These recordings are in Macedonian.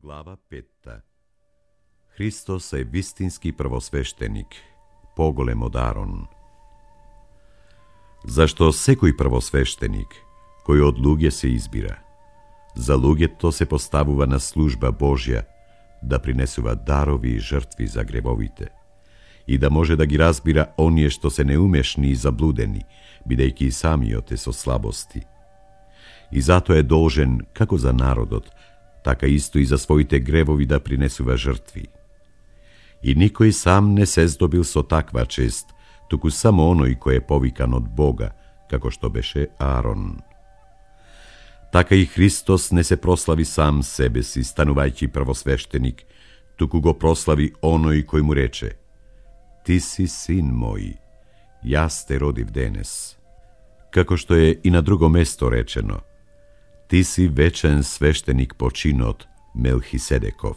Глава 5. Христос е вистински првосвештеник, поголем од Арон. Зашто секој првосвештеник, кој од луѓе се избира, за луѓето се поставува на служба Божја, да принесува дарови и жртви за гревовите, и да може да ги разбира оние што се неумешни и заблудени, бидејќи и самиот е со слабости. И затоа е должен, како за народот, така исто и за своите гревови да принесува жртви. И никој сам не се здобил со таква чест, туку само оној кој е повикан од Бога, како што беше Аарон. Така и Христос не се прослави сам себе си, станувајќи првосвештеник, туку го прослави оној кој му рече: Ти си син мој, јас те родив денес. Како што е и на друго место речено: Ти си вечен свештеник по чинот, Мелхиседеков.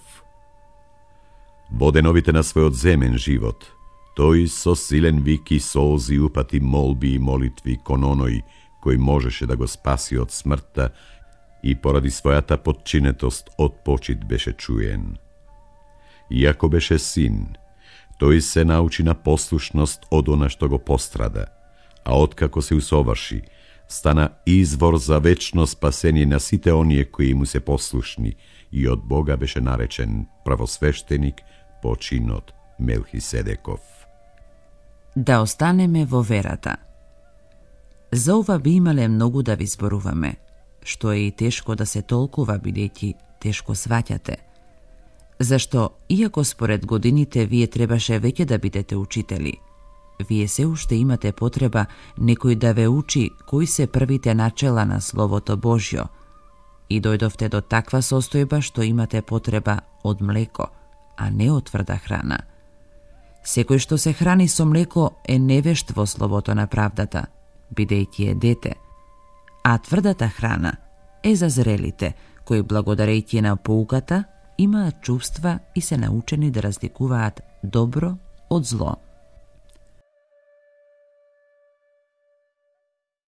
Во деновите на својот земен живот, тој со силен вик и солзи упати молби и молитви кон оној кој можеше да го спаси од смртта и поради својата подчинетост од почит беше чуен. Иако беше син, тој се научи на послушност од она што го пострада, а откако се усоврши, стана извор за вечно спасение на сите оние кои му се послушни и од Бога беше наречен првосвештеник по чинот Мелхиседеков. Да останеме во верата. За ова би имале многу да ви зборуваме, што е и тешко да се толкува бидејќи тешко сваќате. Зашто, иако според годините вие требаше веќе да бидете учители, вие се уште имате потреба некој да ве учи кои се првите начела на Словото Божјо и дојдовте до таква состојба што имате потреба од млеко, а не од тврда храна. Секој што се храни со млеко е невешт во Словото на правдата, бидејќи е дете, а тврдата храна е за зрелите, кои благодарејќи на поуката имаат чувства и се научени да разликуваат добро од зло.